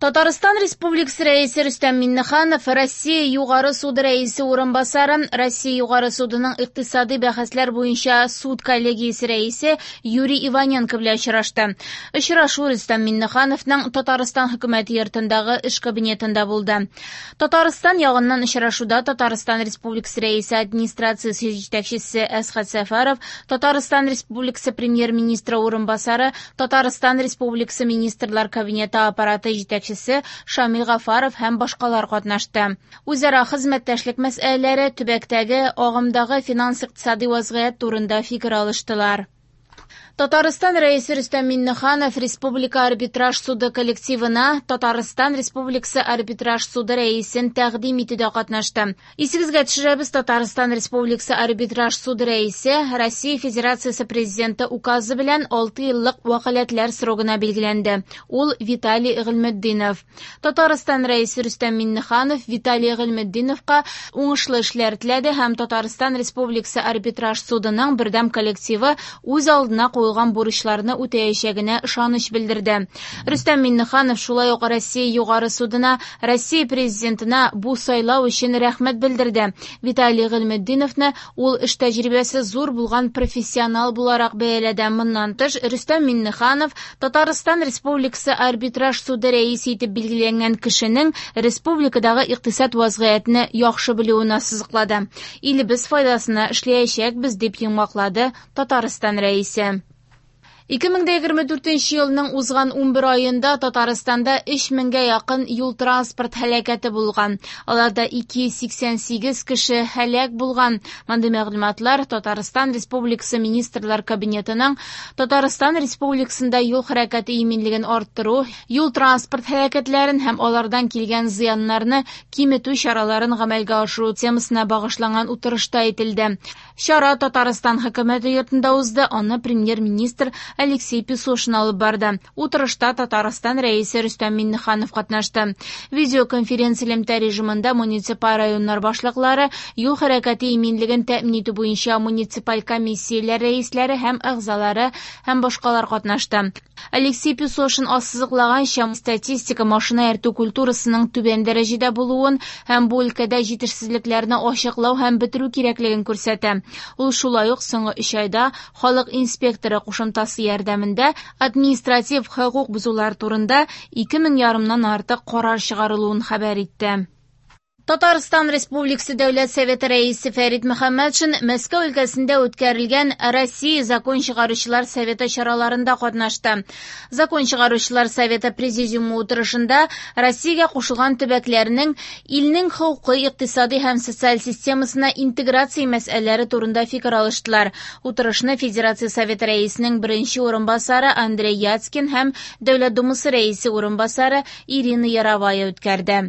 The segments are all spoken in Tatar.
Татарстан Республикасы Рәисе Рөстәм Миңнеханов Россия Югары суды рәисе урынбасары, Россия Югары судының икътисади бәхәсләр буенча суд коллегиясе рәисе Юрий Иваненко белән очрашты. Очрашу Рөстәм Миңнехановның Татарстан хөкүмәте йортындагы эш кабинетында булды. Татарстан ягыннан очрашуда Татарстан Республикасы Рәисе администрациясе җитәкчесе Әсхәт Сәфәров, Татарстан Республикасы Премьер-министры урынбасары, Татарстан Республикасы Министрлар Кабинеты аппараты җитәкчесе Шамил Гафаров һәм башкалар катнашты. Үзара хезмәттәшлек мәсьәләләре, төбәктәге агымдагы финанс-икътисади вазгыять турында фикер алыштылар. Татарстан Рәисе Рөстәм Миңнеханов Республика арбитраж суды коллективына Татарстан Республикасы арбитраж суды рәисен тәкъдим итүдә катнашты. Исегезгә төшерәбез, Татарстан Республикасы арбитраж суды рәисе Россия Федерациясе Президенты указы белән 6 еллык вәкаләтләр срогына билгеләнде. Ул Виталий Гыйльметдинов. Татарстан Рәисе Рөстәм Миңнеханов Виталий Гыйльметдиновка уңышлы эшләр теләде һәм Татарстан Республикасы арбитраж судының бердәм коллективы үз алдына куелган бурычларны үтәячәгенә ышаныч белдерде. Рөстәм Миңнеханов шулай ук Россия Югары судына, Россия Президентына бу сайлау өчен рәхмәт белдерде. Виталий Гыйльметдиновны ул эш тәҗрибәсе зур булган профессионал буларак бәяләде. Моннан тыш, Рөстәм Миңнеханов Татарстан Республикасы арбитраж суды рәисе итеп билгеләнгән кешенең республикадагы икътисад вазгыятен яхшы белүен ассызыклады. Илебез файдасына эшләячәкбез, дип йомгаклады Татарстан Рәисе. 2024 елның узган 11 аенда Татарстанда 3000гә якын юл-транспорт һәлакәте булган. Аларда 288 кеше һәлак булган. Мондый мәгълүматлар Татарстан Республикасы Министрлар Кабинетының Татарстан Республикасында юл хәрәкәте иминлеген арттыру, юл-транспорт һәлакәтләрен һәм алардан килгән зыяннарны киметү чараларын гамәлгә ашыру темасына багышланган утырышта әйтелде. Чара Татарстан хөкүмәте йортында узды, аны премьер-министр Алексей Песошин алып барды. Утырышта Татарстан Рәисе Рөстәм Миңнеханов катнашты. Видеоконференция элемтә режимында муниципаль районнар башлыклары, юл хәрәкәте иминлеген тәэмин итү буенча муниципаль комиссияләр рәисләре һәм әгъзалары һәм башкалар катнашты. Алексей Песошин ассызыклаганча, статистика машина йөртү культурасының түбән дәрәҗәдә булуын һәм бу өлкәдә җитешсезлекләрне ачыклау һәм бетерү кирәклеген күрсәтә. Ул шулай ук соңгы 3 айда халык инспекторы кушымтасы ярдәмендә административ хокук бозулар турында 2500-нан артык карар чыгарылуын хәбәр итте. Татарстан Республикасы Дәүләт Советы рәисе Фәрит Мөхәммәтшин Мәскәү өлкәсендә үткәрелгән Россия Закон чыгаручылар советы чараларында катнашты. Закон чыгаручылар советы президиумы утырышында Россиягә кушылган төбәкләрнең илнең хокукый, икътисади һәм социаль системасына интеграция мәсьәләләре турында фикер алыштылар. Утырышны Федерация Советы рәисенең беренче урынбасары Андрей Яцкин һәм Дәүләт Думасы рәисе урынбасары Ирина Яровая үткәрде.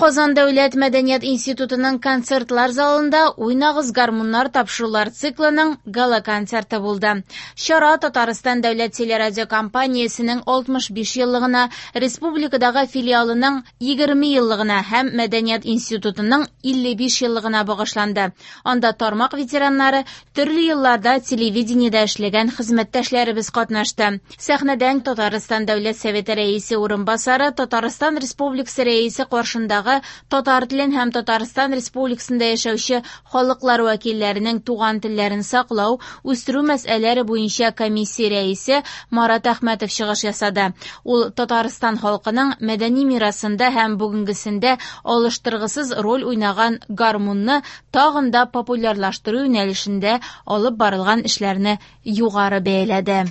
Казан дәүләт мәдәният институтының концертлар залында Уйнагыз гармуннар тапшырулар циклының гала-концерты булды. Чара Татарстан дәүләт телерадиокомпаниясенең 65 еллыгына, республикадагы филиалының 20 еллыгына һәм мәдәният институтының 55 еллыгына багышланды. Анда тармак ветераннары, төрле елларда телевидениедә эшләгән хезмәттәшләребез катнашты. Сәхнәдән Татарстан дәүләт советы рәисе урынбасары, Татарстан Республикасы рәисе каршындагы татар телен һәм Татарстан Республикасында яшәүче халыклар вәкилләренең туган телләрен саклау, үстерү мәсьәләләре буенча комиссия рәисе Марат Әхмәтов чыгыш ясады. Ул Татарстан халкының мәдәни мирасында һәм бүгенгесендә алыштыргысыз роль уйнаган гармунны тагын да популярлаштыру юнәлешендә алып барылган эшләрне югары бәяләде.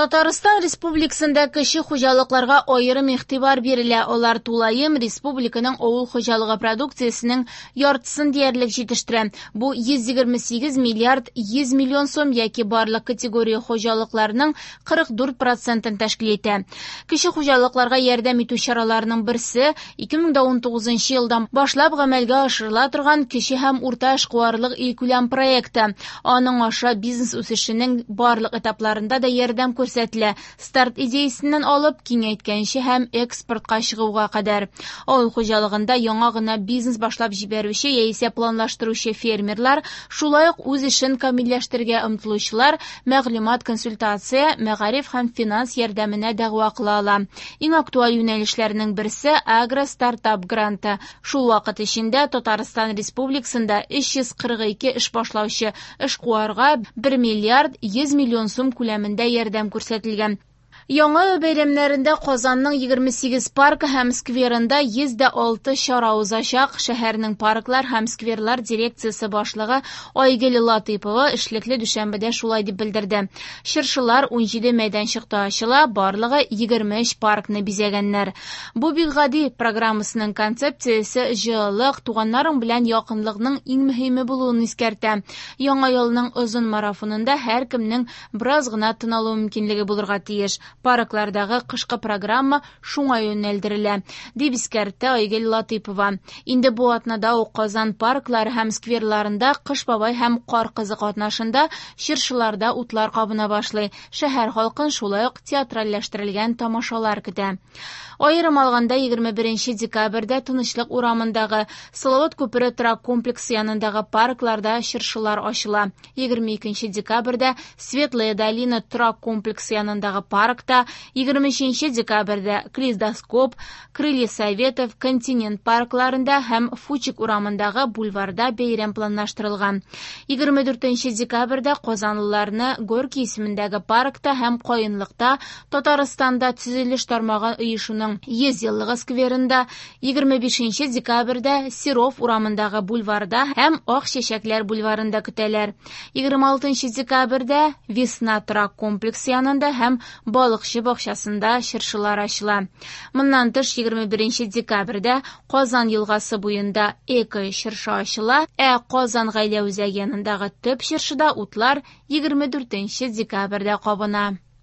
Татарстан Республикасында кече хуҗалыкларга аерым игътибар бирелә. Алар тулаем республиканың авыл хуҗалыгы продукциясенең яртысын диярлек җитештерә. Бу 128 миллиард 100 миллион сум яки барлык категория хуҗалыкларның 44%-ын тәшкил итә. Кече хуҗалыкларга ярдәм итү чараларының берсе 2019 елдан башлап гамәлгә ашырыла торган кече һәм урта эшкуарлык илкүләм проекты. Аның аша бизнес үсешенең барлык этапларында да ярдәм күрсәтелә, старт идеясеннән алып, киңәйткәнче һәм экспортка чыгуга кадәр. Авыл хуҗалыгында яңа гына бизнес башлап җибәрүче яисә планлаштыручы фермерлар, шулай ук үз эшен камилләштерергә омтылучылар мәгълүмат-консультация, мәгариф һәм финанс ярдәменә дәгъва кыла ала. Иң актуаль юнәлешләрнең берсе агро-стартап гранты. Шул вакыт эчендә Татарстан Республикасында 342 эш башлаучы эшкуарга 1 миллиард 100 миллион сум күләмендә ярдәм күрсәтелгән. Яңа ел бәйрәмнәрендә Казанның 28 паркы һәм скверында 106 чара узачак. Шәһәрнең парклар һәм скверлар дирекциясе башлыгы Айгөл Латыйпова эшлекле дүшәмбедә шулай дип белдерде. Чыршылар 17 мәйданчыкта ачыла, барлыгы 23 паркны бизәгәннәр. Бу бик гади программасының концепциясе җылылык, туганнарың белән якынлыкның иң мөһиме булуын искәртә. Яңа елның озын марафонында һәркемнең бераз гына тын алу мөмкинлеге булырга тиеш. Парклардагы кышкы программа шуңа юнәлдерелә, дип искәртте Айгөл Латыйпова. Инде бу атнада ук Казан парклары һәм скверларында Кыш бабай һәм Кар кызы катнашында чыршыларда утлар кабына башлый. Шәһәр халкын шулай ук театральләштерелгән тамашалар көтә. Аерым алганда 21 декабрьдә Тынычлык урамындагы Салават күпере торак комплексы янындагы паркларда чыршылар ачыла. 22 декабрьдә Светлая долина торак комплексы янындагы паркта, 23 декабрьдә Калейдоскоп, Крылья Советов, Континент паркларында һәм Фучик урамындагы бульварда бәйрәм планлаштырылган. 24 декабрьдә казанлыларны Горький исемендәге паркта һәм Каенлыкта Татарстанда төзелеш тармагы оешуның 100 еллыгы скверында, 25 декабрьдә Серов урамындагы бульварда һәм Ак чәчәкләр бульварында көтәләр. 26 декабрьдә Весна торак комплексы янында һәм Балыкчы бакчасында чыршылар ачыла. Моннан тыш 21 декабрьдә Казан елгасы буенда эко чыршы ачыла, ә Казан гаилә үзәге янындагы төп чыршыда утлар 24 декабрьдә кабына.